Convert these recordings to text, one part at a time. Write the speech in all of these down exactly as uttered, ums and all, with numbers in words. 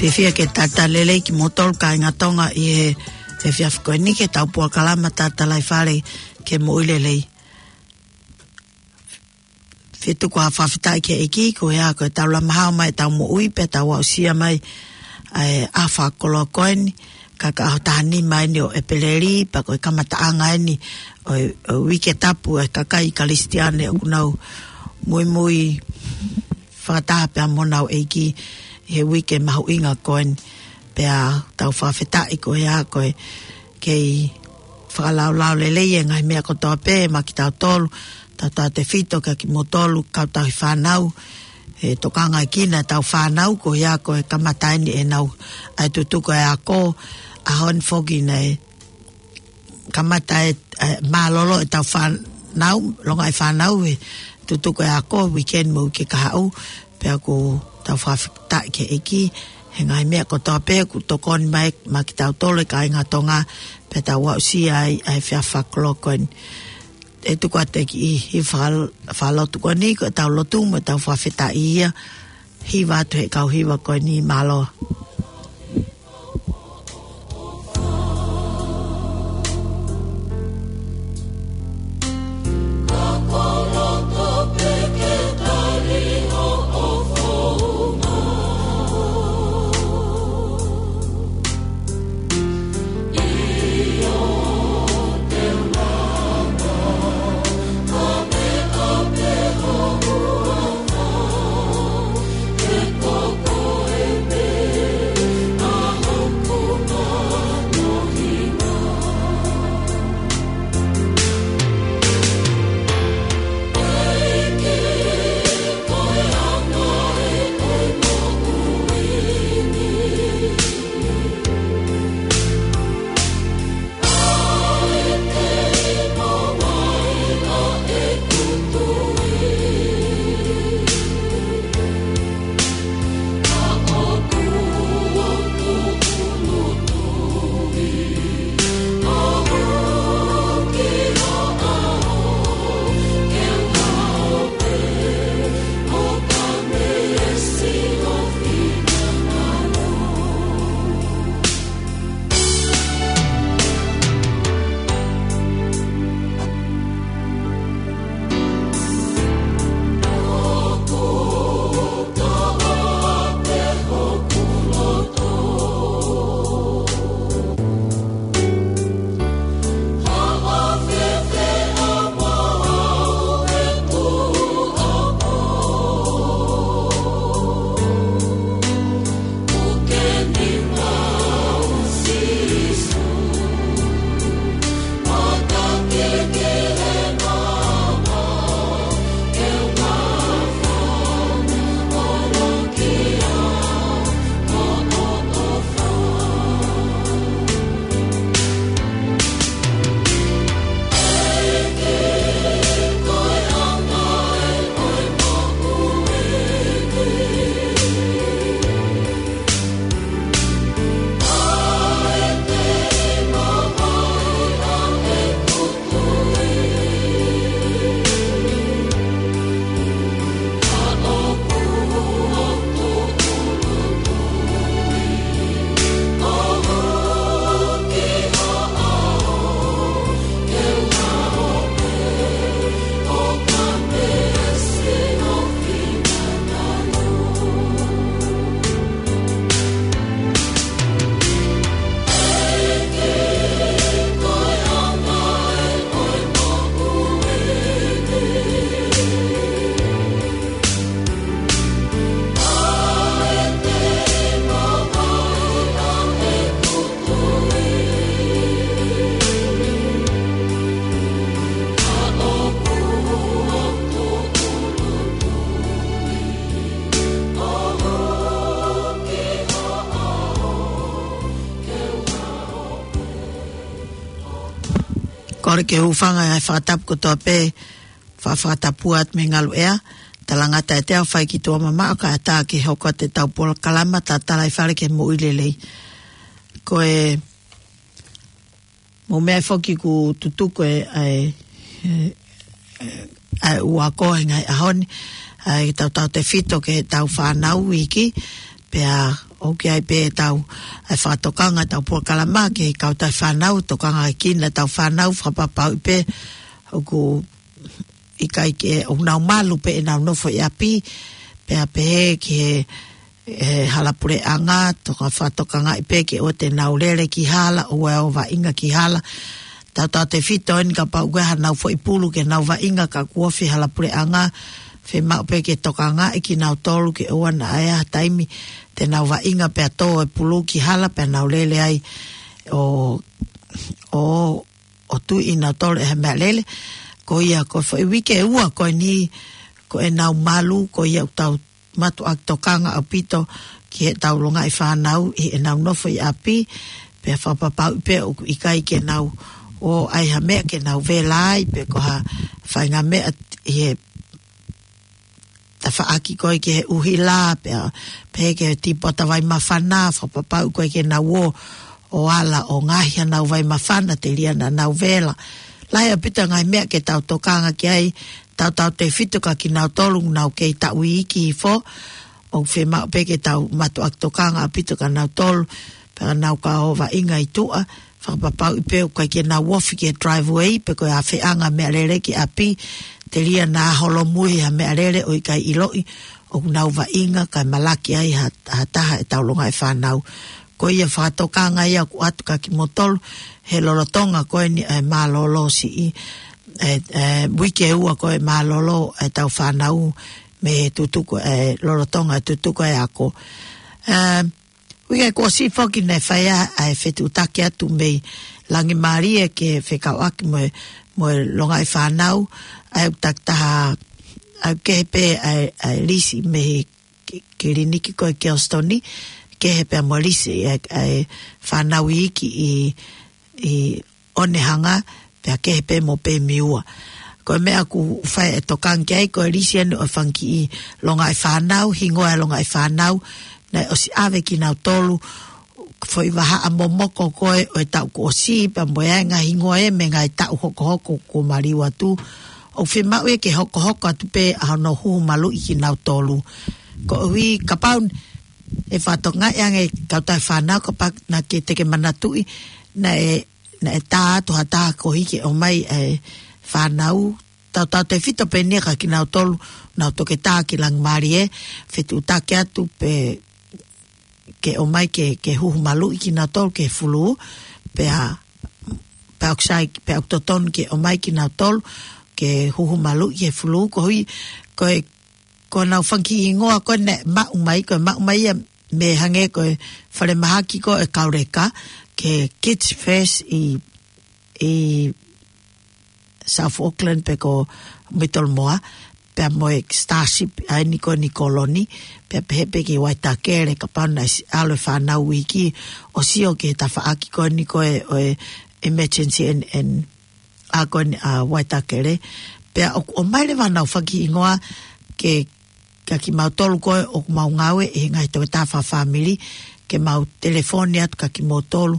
ʻOku ou fie ke talitali lelei kimoutolu kāinga Tonga ʻi he, he efiafi ko eni ki heʻetau polokalama Tatalaifale ki he Moʻui Lelei. Fie tuku ha fakafetaʻi ki he ʻEiki, ko ia ko ʻetau lama hao mai ʻetau moʻui pea tau aʻusia mai ʻa e ʻaho fakakoloa ko eni, ka ko e ʻaho taha nima eni ʻo ʻEpeleli, pea ko e kamataʻanga eni ʻo e, ʻo e uike tapu ʻa e kakai Kalisitiane ʻoku nau muimui fakataha pea mo honau ʻEiki ʻi he uike mahuʻinga ko eni. Pea tau fakafetaʻi ko ia ko e kei fakalaulauloto lelei e ngaahi meʻa kotoa pē maʻa kitautolu, tautautefito kia kimoutolu kau tauhi fānau, ʻe tokangaʻi kinautolu ʻetau fānau, ko ia ko e kamata eni ʻenau ʻai tutuku e ako, ʻaho ni foki naʻe kamata e, e mālōlō ʻetau fānau, longaʻi fānau he tutuku e ako, weekend mo e uike kahaʻu, pea ʻoku tau fakafetaʻi ki he ʻEiki, he ngaahi meʻa kotoa pē ʻoku tokoni mai maʻa kitautolu e kāinga Tonga, pea tau aʻusia ai ʻa e efiafi fakakoloa ko eni. ʻE tuku atu e kiʻi, kiʻi faka-, fakalotu ko eni, ko ʻetau lotu mo ʻetau fakafetaʻi ia, hiva atu he kau hiva ko eni mālō. Kole ke u hūfanga he fakatapu kotoa pē, fa-, fakatapu atu mei Ngaluʻea, talangata ʻe te au fai ki tuʻa mamaʻo kae ʻatā ke hoko atu ʻetau polokalama Tatalaifale ki he Moʻui Lelei. Ko e mou meʻa foki ʻoku tutuku e, ʻa e, ʻa e, ʻa e ʻū ako he ngaahi ʻaho ni, ʻa e tautautefito ki heʻetau fānau iiki, pea ʻOku ʻi ai pē ʻetau, ʻa e fakatokanga ʻetau polokalama ki he kautaha fānau, tokanga ki heʻetau fānau, fakapapauʻi pē ʻoku ʻikai ke, ʻoku nau malu pē ʻenau nofo ʻi ʻapi, pea pehē ki he, he hala puleʻanga, toka fakatokangaʻi pē ke ʻoua te nau lele ki hala, ʻoua ʻe ō vaʻinga ki hala. Tautautefito eni kapau ʻoku ʻi ai haʻanau foʻi pulu ke nau vaʻinga ka kuo ofi hala puleʻanga, fiemaʻu pē ke tokangaʻi kinautolu ke ʻoua naʻa ʻi ai ha taimi te nau vaʻinga pea tō e pulu ki hala pea nau lele ai ʻo, ʻo, ʻo tuʻi kinautolu ʻe ha meʻalele. Ko ia ko e foʻi uike ʻe ua ko eni ko ʻenau malu, ko ia ʻoku tau mātuʻaki tokanga ʻaupito ki heʻetau longaʻi fānau ʻi heʻenau nofo ʻi ʻapi, pea fakapapauʻi pē ʻoku ʻikai ke nau ō ʻai ha meʻa ke nau vela ai, pe ko ha faʻahinga meʻa ʻi he tafaʻaki ko ē ki he ʻuhila, pea, pehē ki he tīpota vai māfana, fakapapauʻi ko ē ke nau ō, ʻo ala ʻo ngaohi haʻanau vai māfana, telia naʻa nau vela. Lahi ʻaupito ngaahi meʻa ke tau tokanga ki ai, tautautefito kia kinautolu ʻoku nau kei taʻu iiki hifo, ʻoku fiemaʻu pē ke tau mātuʻaki tokanga ʻaupito kia nautolu, pea nau ka ō vaʻinga ʻi tuʻa, fakapapauʻi pē ʻoku ʻikai ke nau ofi ki he driveway, pe ko e ʻafeʻanga meʻalele ki ʻapi, telia naʻa holomui ha meʻalele ʻo ʻikai ʻiloʻi ʻoku nau vaʻinga kae malaki ai ha, ha taha ʻetau longaʻi fānau. Ko ia fakatokanga ia ʻoku ʻoatu kia kimoutolu he lolotonga ko eni ʻa e mālōlō siʻi, ʻa e, ʻa e uike ʻe ua ko e mālōlō ʻetau fānau mei he tutuku, ʻa e lolotonga e tutuku e ako. Ā, uike kuo ʻosi foki naʻe fai ʻa e fetuʻutaki atu mei Langimālie ke fekauʻaki mo e, mo e longaʻi fānau, ʻa e ʻū takitaha, ʻa e kehe pē ʻa e, ʻa e lisi mei he ki-, kiliniki ko ē Kelston, kehe pē mo e lisi ʻa e, ʻa e fānau iiki ʻi, ʻi Onehunga, pea kehe pē mo Pemiua. Ko e meʻa ʻoku fai e tokanga ki ai, ko e lisi eni ʻo e fanga kiʻi longaʻi fānau, hingoa e longaʻi fānau, naʻe ʻosi ʻave kinautolu, foʻi vahaʻa momoko ko ē ʻo e taʻu kuo ʻosi, pea mo e ʻai ngaahi hingoa ē mei he ngaahi taʻu hokohoko kuo maliu atu. ʻOku fiemaʻu ia ke hokohoko atu pē ʻa hono huhu maluʻi kinautolu. Koeʻuhi kapau ʻe fakatokangaʻi ange kautaha fānau kapau naʻa ke, te ke manatuʻi, naʻe, naʻe tā atu ha taha koeʻuhi ke ʻomai e fānau, tautautefito pē eni kia kinautolu ʻoku nau toketā ki Langimālie, fetuʻutaki atu pē ke ʻomai ke, ke huhu maluʻi kinautolu ki he fulū, pea, pea ʻoku sai, pea ʻoku totonu ke ʻomai kinautolu ke huhu maluʻi ki he fulū, koeʻuhi, ko e, ko ʻenau fanga kiʻi hingoa ko ē naʻe maʻu mai, ko e maʻu mai ia mei he hangē ko e falemahaki ko ē Kauleka, ki he Kids First ʻi, ʻi South Auckland pe ko Middlemore, pea mo e Starship ʻa eni ko eni Koloni, pea pehē pē ki Waitakere, kapau naʻe ʻosi ʻalu e fānau iiki ʻo sio ki he tafaʻaki ko eni ko ē ʻo e emergency and, and ʻa ko eni ʻa Waitakere, pea ʻoku ʻomai leva ʻenau fanga kiʻi hingoa ke, kia kimautolu ko ē ʻoku mau ngāue ʻi he ngaahi toketā fakafāmili, ke mau telefoni atu kia kimoutolu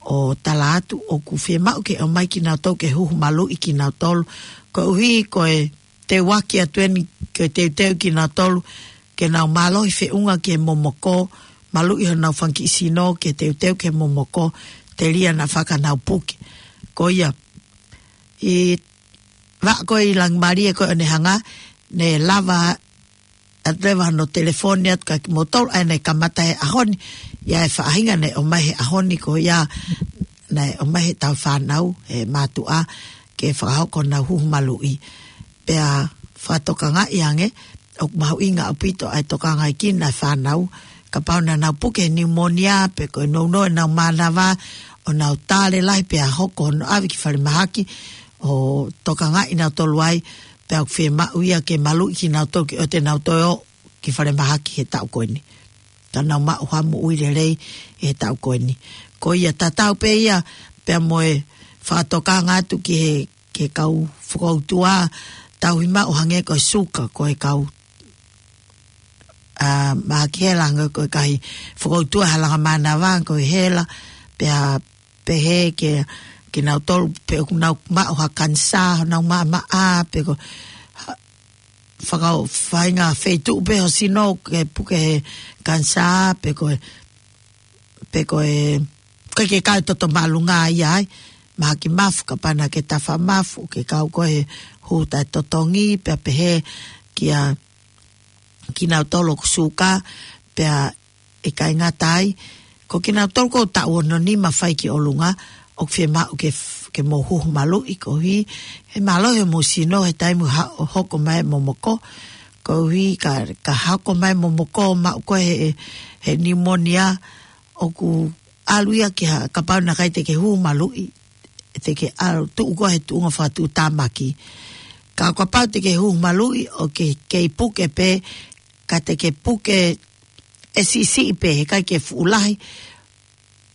ʻo tala atu ʻoku fiemaʻu ke ʻomai kinautolu ke huhu maluʻi kinautolu. Koeʻuhi ko e teuaki atu eni ke teuteu kinautolu ke nau mālohi feʻunga ki he momoko, maluʻi honau fanga kiʻi sino ke teuteu ki he momoko, telia naʻa fakanau puke. Ko ia, ʻi he vaʻa ko ē ʻi Langimālie ko ē Onehunga, naʻe lava atu leva hono telefoni atu kia kimoutolu, ʻa ia naʻe kamata he ʻaho ni, ʻi ai e faʻahinga naʻe ʻomai he ʻaho ni ko ia, naʻe ʻomai heʻetau fānau, he mātuʻa, ke fakahoko honau huhu maluʻi. Pea fakatokangaʻi ange, ʻoku mahuʻinga ʻaupito ʻa e tokangaʻi kinautolu e fānau, kapau naʻa nau puke he niumonia, pe ko e nounou ʻenau mānava, ʻo nau tale lahi pea hoko hono ʻave ki falemahaki, ʻo tokangaʻi kinautolu ai, pea ʻoku fiemaʻu ia ke maluʻi kinautolu ke ʻoua te nau toe ō ki falemahaki he taʻu ko eni. Ka nau maʻu ha moʻui lelei he taʻu ko eni. Ko ia tatau pē ia, pea mo e fakatokanga atu ki he, ki he kau fokoutua, tauhi maʻu hangē ko e suka, ko e kau, ā, mahaki hela hangē ko e ngaahi fokoutua he langa mānava, ko e hela, pea pehē ke, kinautolu pe ʻoku nau maʻu ha kanisā, nau maʻamaʻa, pe ko ha, fakau-, faʻahinga feituʻu pē ho sino ke puke he kanisā, pe ko e pe ko e, ko e ke kau toto māʻolunga ia ai, mahaki mafu, kapau naʻa ke tafa mafu, ke kau ko e hū taʻetotongi, pea pehē kia kinautolu ʻoku suka, pea ʻikai ngata ai, ko kinautolu ko e taʻu ono nima fai ki ʻolunga, ʻoku fiemaʻu ke f-, ke mou huhu maluʻi koeʻuhi, he mālohi hoʻomou sino he taimi ha-, hoko mai momoko, koeʻuhi ka, ka hoko mai momoko, maʻu ko e he, he pneumonia, ʻoku ʻalu ia ki ha, kapau naʻa ʻikai te ke huhu maluʻi, te ke ʻalu tuʻu koe he tuʻunga fakatuʻutāmaki. Ka kapau te ke huhu maluʻi ʻo ke kei puke pē, ka te ke puke ʻe siʻisiʻi pē, he ʻikai ke fuʻu lahi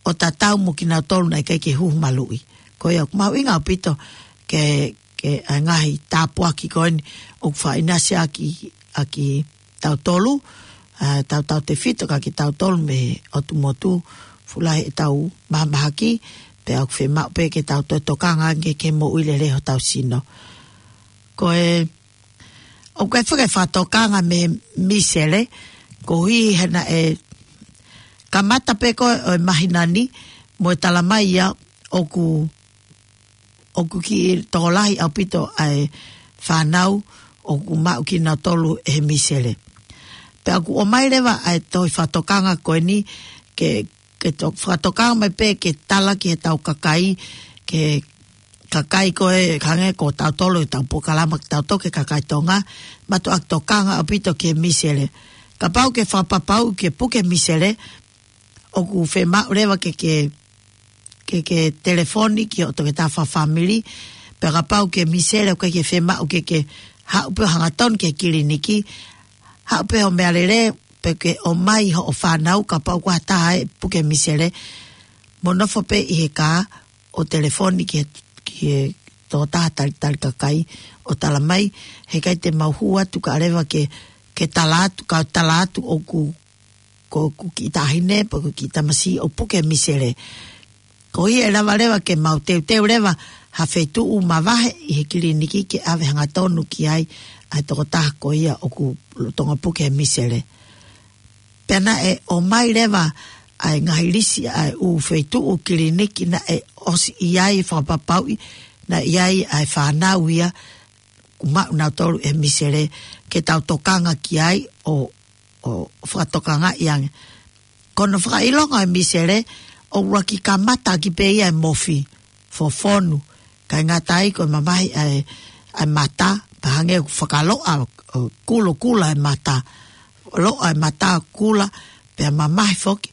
ʻo tatau mo kinautolu naʻe ʻikai ke huhu maluʻi. Ko ia ʻoku mahuʻinga ʻaupito ke, ke ʻa e ngaahi tāpuaki ko eni ʻoku fakaʻinasi ʻaki, ʻaki tautolu, ʻa, tautautefito kia kitautolu mei he ʻotu motu, fuʻu lahi ʻetau mahamahaki, pea ʻoku fiemaʻu pē ke tau toe tokanga ange ke moʻui lelei hotau sino. Ko e, ʻoku ʻi ai foki e fakatokanga mei he misele, koeʻuhi he naʻe kamata pē ko ē ʻo e māhina ni, mo e talamai ia ʻoku, ʻoku kiʻi tokolahi ʻaupito ʻa e fānau ʻoku maʻu kinautolu ʻe he misele. Pea ʻoku ʻomai leva ʻa e tohi fakatokanga ko eni ke, ke to-, fakatokanga mai pē ke tala ki heʻetau kakai, ke kakai ko ē hangē ko tautolu ʻetau polokalama ke tau toki kakai Tonga, mātuʻaki tokanga ʻaupito ki he misele. Kapau ke fakapapauʻi ke puke misele, ʻoku fiemaʻu leva ke, ke, ke, ke telefoni ki hoʻo toketā fakafāmili, pea kapau ke misele ʻoku ʻikai ke fiemaʻu ke, ke haʻu pē ʻo hangatonu ki he kiliniki, haʻu pē hoʻo meʻalele, pe ke ʻomai hoʻo fānau, kapau ʻoku ʻi ai ha taha ʻe puke misele, mo nofo pē ʻi he kā, ʻo telefoni ki he, ki he tokotaha talitali kakai, ʻo talamai, he ʻikai te mau hū atu kae ʻoua leva ke, ke tala atu, ka tala atu ʻoku, ko ʻeku kiʻi taʻahine, pe ko e kiʻi tamasiʻi ʻoku puke misele. Koeʻuhi ʻe lava leva ke mau teuteu leva ha feituʻu mavahe ʻi he kiliniki ke ʻave hangatonu ki ai ʻa e tokotaha ko ia ʻoku lolotonga puke he misele. Pea naʻe ʻomai leva ʻa e ngaahi lisi ʻa e ʻū feituʻu kiliniki naʻe ʻosi ʻi ai, fakapapauʻi naʻe ʻi ai ʻa e fānau ia ʻoku maʻu nautolu ʻe he misele ke tau tokanga ki ai ʻo, ʻo fakatokangaʻi ange. Ko hono fakaʻilonga ʻo e misele, ʻoku ʻuluaki kamata ʻaki pē ia ʻe he mofi, fofonu, ʻikai ngata ai ko e mamahi ʻa e, ʻa e mata, pea hangē ʻoku fakaloa, ʻo kulokula e mata, loa e mata kula, pea mamahi foki,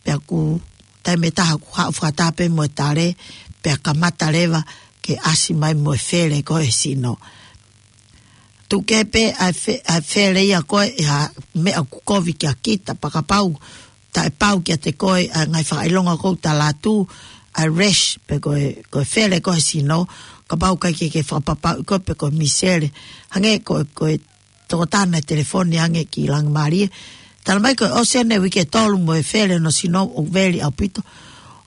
pea ʻoku taimi ʻe taha ʻoku haʻu fakataha pē mo e tale, pea kamata leva ke ʻasi mai mo e fele ko ē he sino. Tuku kehe pē ʻa e fe-, ʻa e fele ia ko ē ʻi ha meʻa ʻoku kovi kia kita, pea kapau taʻepau kiate koe ʻa e ngaahi fakaʻilonga ʻoku ou tala atu, ʻa e rash, pe ko e, ko e fele ko ē he sino, kapau ʻoku ʻikai ke ke fakapapauʻi koe pe ko e misele. Hangē ko e, ko e tokotaha naʻe telefoni ange ki Langimalie. Talamai ko e ʻosi ʻene uike ʻe tolu mo e fele hono sino ʻoku veli ʻaupito.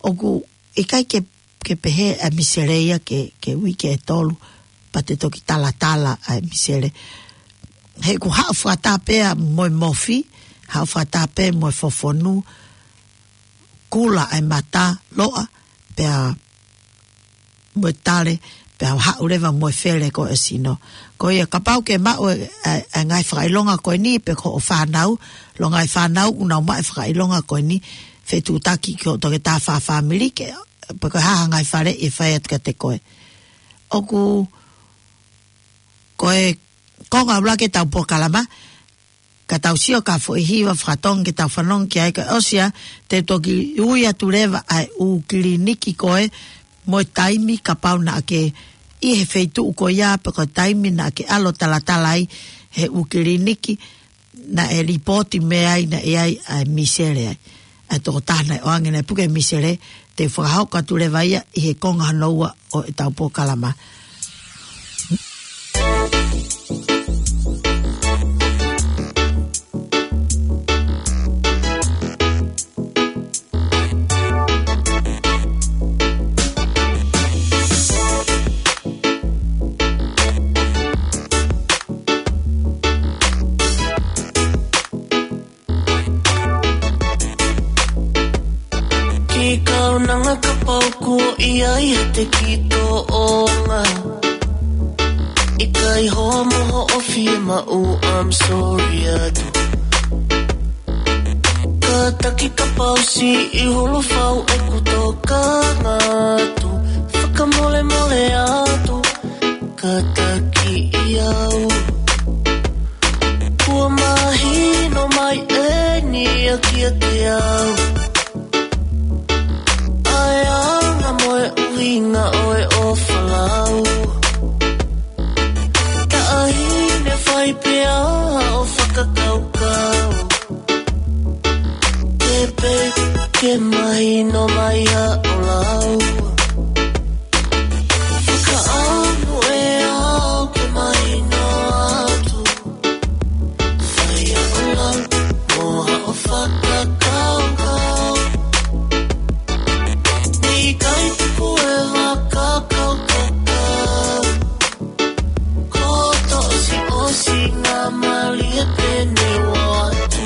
ʻOku ʻikai ke, ke pehē ʻa e misele ia ke, ke uike ʻe tolu, pea te toki talatala ʻa e misele. He ʻoku haʻu fakataha pē ia mo e mofi, haʻu fakataha pē mo e fofonu, kula ʻa e mata, loa, pea mo e tale, pea haʻu leva mo e fele ko ē he sino. Ko ia kapau ke maʻu e, e, e ngaahi fakaʻilonga ko eni pe ko hoʻo fānau, ʻilo ngaahi fānau ʻoku nau maʻu e fakaʻilonga ko eni, fetuʻutaki ki hoʻo toketā fakafāmili ke, pe ko e hā ha ngaahi faleʻi ʻe fai atu kiate koe. ʻOku, ko e konga ʻuluaki ʻetau polokalama, ka tau sio ki ha foʻi hiva faka-Tonga ke tau fanongo ki ai kae ʻosi ia, te u toki ui atu leva ʻa e ʻū kiliniki ko ē mo e taimi kapau naʻa ke ʻi he feituʻu ko ia pe ko e taimi naʻa ke ʻalu ʻo talatala ai he ʻū kiliniki naʻe lipooti mei ai naʻe ʻi ai ʻa e misele ai. ʻA e tokotaha naʻe ʻoange naʻe puke misele, te u fakahoko atu leva ia ʻi he konga hono ua ʻo ʻetau polokalama. Te ki toʻonga. ʻIkai hoa mo hoʻo fiemaʻu, I'm sorry atu. Kātaki kapau siʻi hulu fau ʻeku tokanga atu. Fakamolemole atu, kātaki au. Kuo mahino mai eni ia kiate au ʻa e anga mo e ʻuhinga ʻo e ʻofa lau. Taʻahine fai pea ʻo fakakaukau. Ke pē ke mahino mai ʻa ʻolau. Fakaʻamu ʻe au ke mahino atu. Fai ʻa ʻolau mo haʻo fakakaukau. ʻIkai tuku e fakakaukau. Ko toʻo siʻo singa malie pene ua atu.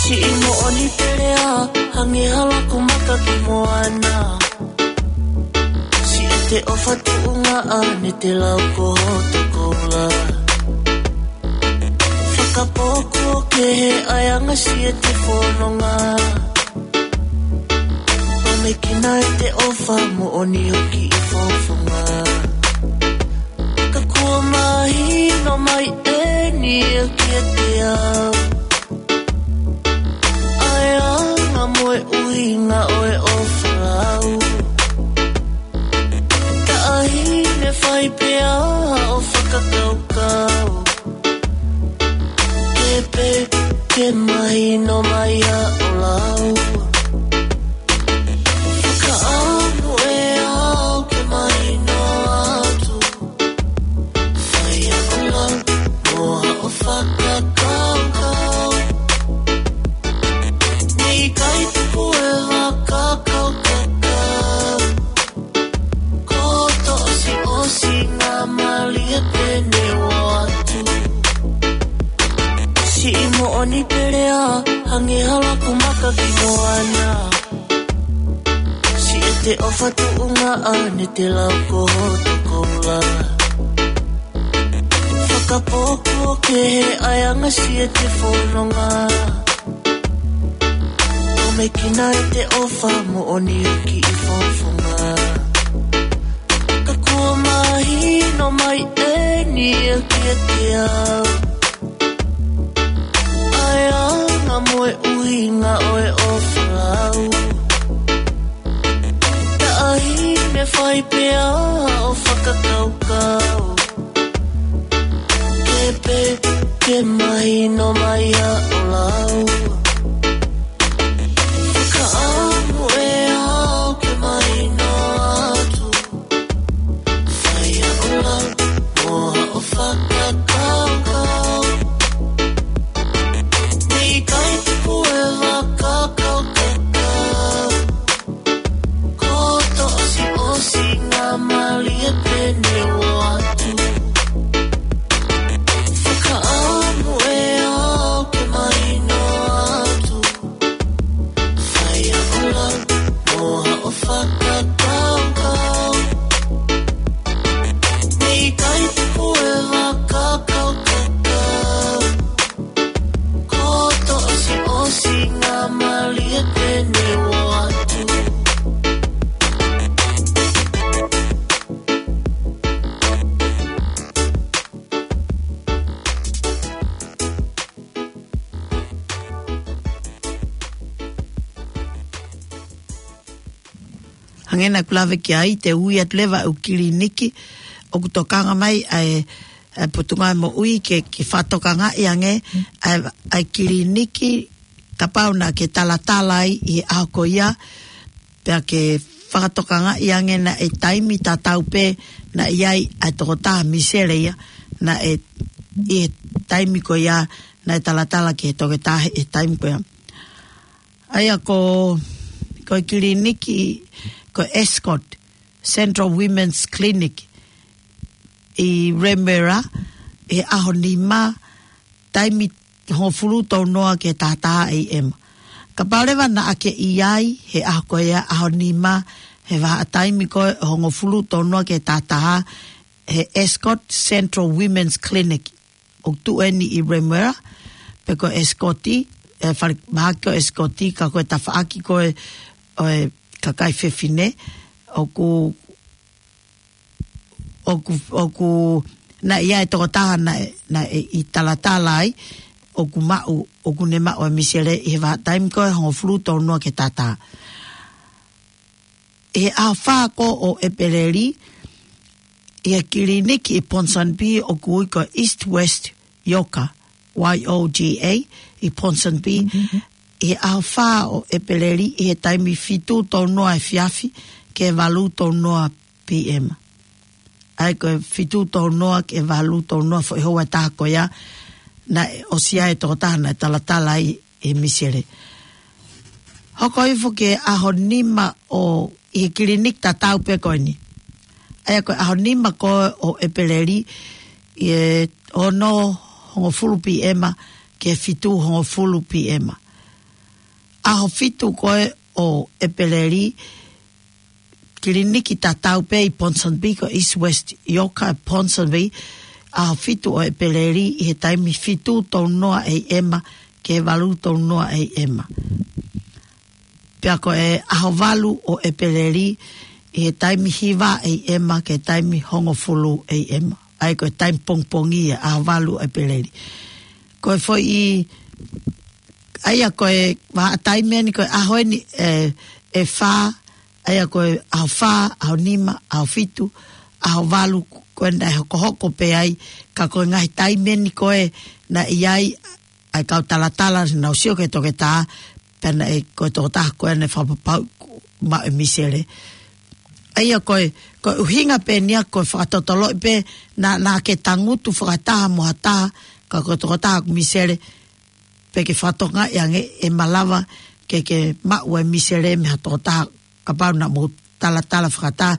Siʻi moʻoni pele ā, hangē ha laku maka ki moana. Siʻete ʻofa tuʻunga ʻa ne te lau ko hoto koula. Fakapō kuo kehe ʻa e anga siʻete fononga. Pamekina ʻete ʻofa moʻoni hoki ʻi fofonga. Ka kuo mahino mai eni ia kiate au ʻa e anga mo e ʻuhinga ʻo e ʻofa lau. Taʻahine fai pea ʻo fakakaukau. Ke pē ke mahino mai ʻa ʻolau. Fakaʻamu ʻe au ke mahino atu. Fai ʻa ʻolau mo haʻo fakakaukau. ʻIkai tuku e fakakaukau. Ko toʻo siʻo singa malie pene ua atu. Siʻi moʻoni pele ā, hangē ha laku maka ki moana. Siʻete ʻofa tuʻunga ʻa ne te lau ko hoto koula. Fakapō kuo kehe ʻa e anga siʻete fononga. Pamekina ʻete ʻofa moʻoni hoki ʻi fofonga. Ka kuo mahino mai eni ia kiate au ʻa e anga mo e ʻuhinga ʻo e ʻofa lau. Taʻahine fai pea ʻo fakakaukau. Ke pē ke mahino mai ʻa ʻolau. Fakaʻamu ʻe au ke mahino atu. Fai ʻa ʻolau mo haʻo fakakaukau. ʻIkai tuku e fakakaukau. Ko toʻo siʻo singa malie pene ua atu. Fakaʻamu ʻe au ke mahino atu. Fai ʻa ʻolau mo haʻo fakakaukau. ʻIkai tuku e fakakaukau. Ko toʻo siʻo singa malie pene ua atu. Hangē naʻa ku lave ki ai, te u ui atu leva ʻeku kiliniki ʻoku tokanga mai ʻa e, ʻa e Potungāue Moʻui ke, ke fakatokangaʻi ange ʻa e, ʻa e kiliniki kapau naʻa ke talatala ai ʻi he ʻaho ko ia, pea ke fakatokangaʻi ange naʻe taimi tatau pē naʻe ʻi ai ʻa e tokotaha Misele ia, naʻe, ʻi he taimi ko ia, naʻe talatala ki he toketā he taimi ko ia. ʻA ia ko, ko e kiliniki, ko e Ascot Central Women's Clinic ʻi Remuera, he ʻaho nima, taimi hongofulu tolu noa ki he taha taha A M. Kapau leva naʻa ke ʻi ai, he ʻaho ko ia ʻaho nima, he vahaʻa taimi ko e hongofulu tolu noa ki he taha taha, he Ascot Central Women's Clinic, ʻoku tuʻu eni ʻi Remuera, pe ko Ascot, e fale mahaki ko Ascot, ka ko e tafaʻaki ko e, ʻo e kakai fefine, ʻoku, ʻoku, ʻoku, naʻe ʻi ai e tokotaha naʻe, naʻe ʻi talatala ai, ʻoku maʻu, ʻoku ne maʻu e misele ʻi he vahaʻa taimi ko e hongofulu tolu noa ki he taha taha. ʻI he ʻaho fā ko ē ʻo ʻEpeleli, ʻi he kiliniki ʻi Ponsonby ʻoku ui ko East West Yoga, Y O G A, ʻi Ponsonby, ʻi he ʻaho fā ʻo ʻEpeleli, ʻi he taimi fitu tolu noa efiafi, ki he valu tolu noa P M. ʻA ia ko e fitu tolu noa ki he valu tolu noa foʻi houa ʻe taha ko ia, naʻe ʻosi ʻi ai e tokotaha naʻe talatala ai e misele. Hoko hifo ki he ʻaho nima ʻo ʻi he kiliniki tatau pē ko eni. ʻA ia ko e ʻaho nima ko ē ʻo ʻEpeleli, ʻi he ono hongofulu P M ki he fitu hongofulu P M. ʻAho fitu ko ē ʻo ʻEpeleli, kiliniki tatau pē ʻi Ponsonby ko East West Yoga Ponsonby, ʻaho fitu ʻo ʻEpeleli ʻi he taimi fitu tolu noa A M ki he valu tolu noa A M. Pea ko e ʻaho valu ʻo ʻEpeleli ʻi he taimi hiva A M ki he taimi hongofulu A M. ʻA ia ko e taimi pongipongi ia ʻaho valu ʻo ʻEpeleli. Ko e foʻi, ʻa ia ko e vahaʻa taimi eni ko e ʻaho eni ʻe, ʻe fā, ʻa ia ko e ʻaho fā, ʻaho nima, ʻaho fitu, ʻaho valu, ko e naʻe hokohoko pē ai, ka ko e ngaahi taimi eni ko ē naʻe ʻi ai ʻa e kau talatala naʻa nau sio ki he toketā, pea naʻe ko e tokotaha ko ē naʻe fakapapauʻi ʻoku maʻu e misele. ʻA ia ko e, ko e ʻuhinga pē eni ia ko e fakatotoloʻi pē naʻa, naʻa ke tangutu fakataha mo ha taha, ka ko e tokotaha ʻoku misele, pe ke fakatokangaʻi ange ʻe malava ke ke maʻu e misele mei ha tokotaha kapau naʻa mou talatala fakataha,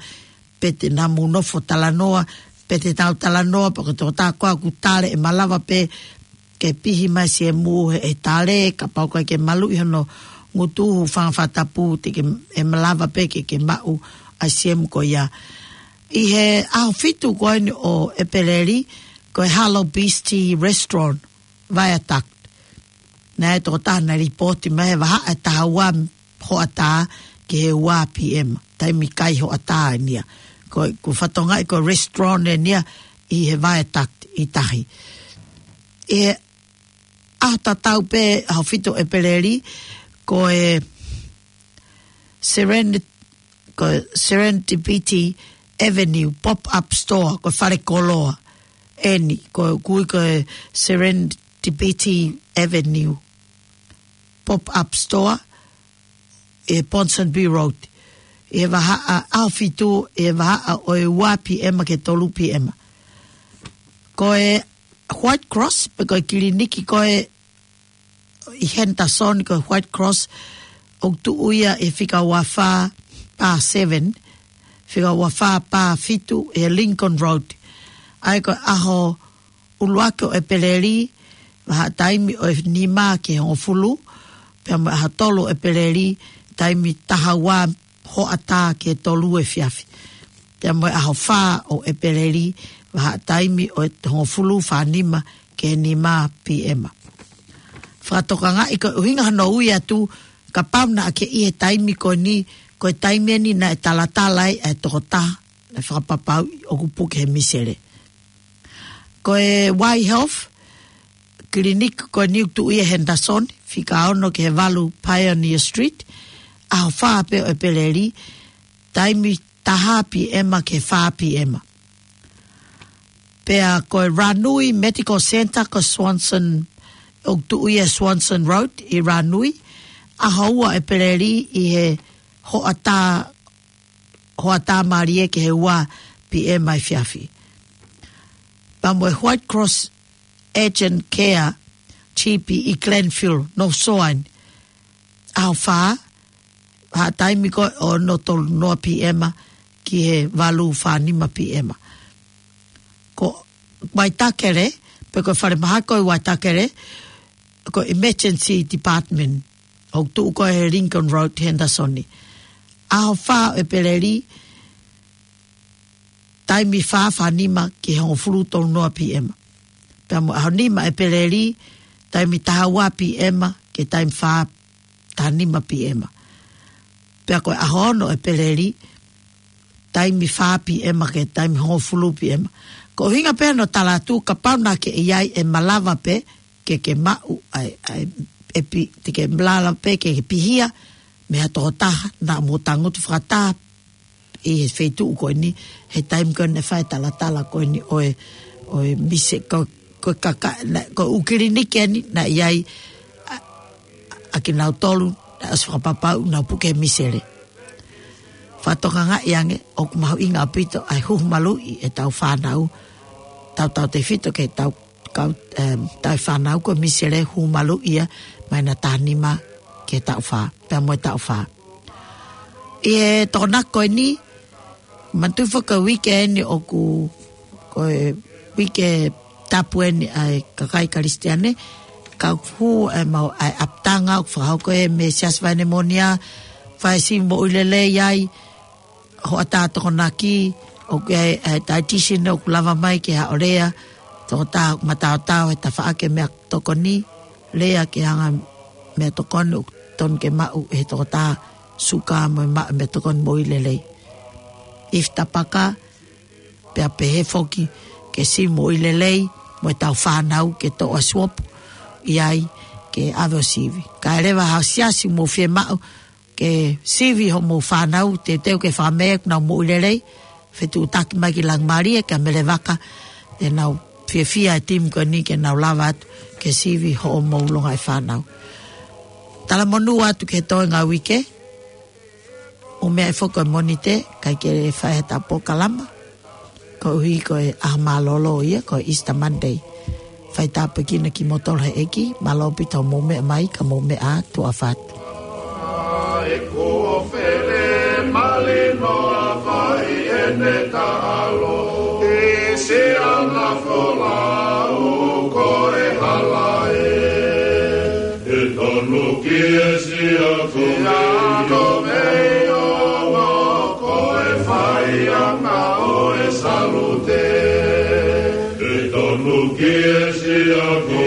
pe te nau mou nofo talanoa, pe te nau talanoa, pe ko e tokotaha ko ē ʻoku tale ʻe malava pē ke pihi mai siemu he, he tale, kapau ko ē ke maluʻi hono ngutu, hūfanga he fakatapu, te ke, ʻe malava pē ke, ke maʻu ʻa e siemu ko ia. ʻI he ʻaho fitu ko eni ʻo ʻEpeleli, ko e Hello Beastie Restaurant, Viaduct. Naʻe tokotaha naʻe lipooti mai he vahaʻa ʻe taha ua hoʻatā ki he ua P M. Taimi kai hoʻatā eni ia. Ko, ko e fakatokangaʻi ko e restaurant eni ia ʻi he Viaduct ʻi tahi. ʻI he ʻaho tatau pē, ʻaho fitu ʻEpeleli, ko e Seren-, ko e Serendipity Avenue Pop-Up Store, ko e fale koloa eni, ko e ʻoku ui ko e Serendipity Avenue Pop-Up Store, ʻi Ponsonby Road. ʻI he vahaʻa, ʻaho fitu, ʻi he vahaʻa ʻo e ua P M ki he tolu P M. Ko e White Cross, pe ko e kiliniki ko ē ʻi Henderson, ko e White Cross, ʻoku tuʻu ia ʻi he fika ua fā pā seven, fika ua fā pā fitu ʻi he Lincoln Road. ʻA ia ko e ʻaho ʻuluaki ʻo ʻEpeleli, vahaʻa taimi ʻo e nima ki he hongofulu, pea mo e ʻaho tolu ʻo ʻEpeleli, taimi taha ua hoʻatā ki he tolu efiafi. Pea mo e ʻaho fā ʻo ʻEpeleli, vahaʻa taimi ʻo e hongofulu, fā nima ki he nima P M. Fakatokangaʻi ko e ʻuhinga hono ui atu, kapau naʻa ke ʻi he taimi ko eni, ko e taimi eni naʻe talatala ai ʻa e tokotaha naʻe fakapapauʻi ʻoku puke he misele. Ko e Y Health, kiliniki ko eni ʻoku tuʻu ia ʻi Henderson, fika ono ki he valu Pioneer Street, ʻaho fā pē ʻo ʻEpeleli, taimi taha P M ki he fā P M. Pea ko e Ranui Medical Centre ko Swanson, ʻoku tuʻu ia Swanson Road ʻi Ranui, ʻaho ua ʻEpeleli ʻi he hoʻatā, hoʻatā mālie ki he ua P M efiafi. Pea mo e White Cross Urgent Care G P ʻi Glenville, North Shore. ʻAho fā, ha taimi ko ē ʻo e ono tolu noa P M ki he valu fā nima P M. Ko Waitakere, pe ko e falemahaki ko ē ʻi Waitakere, ko e Emergency Department, ʻoku tuʻu ko ē he Lincoln Road, Henderson. ʻAho fā ʻo ʻEpeleli, taimi fā fā nima ki he hongofulu tolu noa P M. Pea mo e ʻaho nima ʻo ʻEpeleli, taimi taha ua P M ki he taimi fā taha nima P M. Pea ko e ʻaho ono ʻo ʻEpeleli, taimi fā P M ki he taimi hongofulu P M. Ko e ʻuhinga pē ʻo e tala atu, kapau naʻa ke ʻi ai, ʻe malava pē ke ke maʻu ʻa e, ʻa e, ʻe pi-, te ke malava pē ke ke pihia mei ha tokotaha naʻa mou tangutu fakataha ʻi he feituʻu ko eni, he taimi ko eni ʻe fai e talatala ko eni ʻo e, ʻo e mise, ko, ko e kaka-, naʻa, ko e ʻū kiliniki eni naʻe ʻi ai ʻa, ʻa kinautolu naʻe ʻosi fakapapauʻi naʻa nau puke he misele. Fakatokangaʻi ange ʻoku mahuʻinga ʻaupito ʻa e huhu maluʻi ʻetau fānau, tautautefito ki heʻetau kau, em, tauhi fānau, ko e misele, huhu maluʻi ia mei he taʻu taha nima ki he taʻu fā, pea mo e taʻu fā. ʻI he Tokonaki ko eni, manatuʻi foki ko e uike eni ʻoku, ko e uike tapu eni ʻa e kakai Kalisitiane, ka ʻoku hū ʻa e mau, ʻa e ʻapitanga ʻoku fakahoko ʻe he Siasi Vaine Moʻonia, fai e sivi moʻui lelei ai, hoʻatā Tokonaki, ʻoku ʻi ai e, e dietitian ʻoku lava mai ke haʻo lea, tokotaha ʻoku mataotao he tafaʻaki e meʻatokoni, lea ke hanga e meʻatokoni ʻoku totonu ke maʻu ʻe he tokotaha, suka mo e maʻu e meʻatokoni moʻui lelei. Ifi tapaka, pea pehē foki ke sivi moʻui lelei mo ʻetau fānau, ke toʻo ʻa e suopu ʻi ai ke ʻave ʻo sivi. Kae leva ha siasi ʻoku mou fiemaʻu ke sivi hoʻomou fānau, teuteu ke fakamea ʻoku nau moʻui lelei, fetuʻutaki mai ki Langimalie, kia Mele Vaka, te nau fiefia e timi ko eni ke nau lava atu ke sivi hoʻomou longaʻi fānau. Talamonū atu ki he toenga uike, ʻo meʻa e foki e Mōnite, ʻikai ke fai ha taha polokalama, koeʻuhi ko e ʻaho mālōlō ia, ko e Easter Monday. Fai tāpuekina kimoutolu ʻe he ʻEiki, mālō ʻaupito hoʻomou meʻa mai, ka mou meʻa ā, tuʻa ʻofa atu. E ko fele malino a fai ʻene taʻalo, ʻi siana folau ko e hala ē. ʻE tonu ki he siaku mei ʻo ko e faiʻanga ʻo e salute. ʻE tonu ki he siaku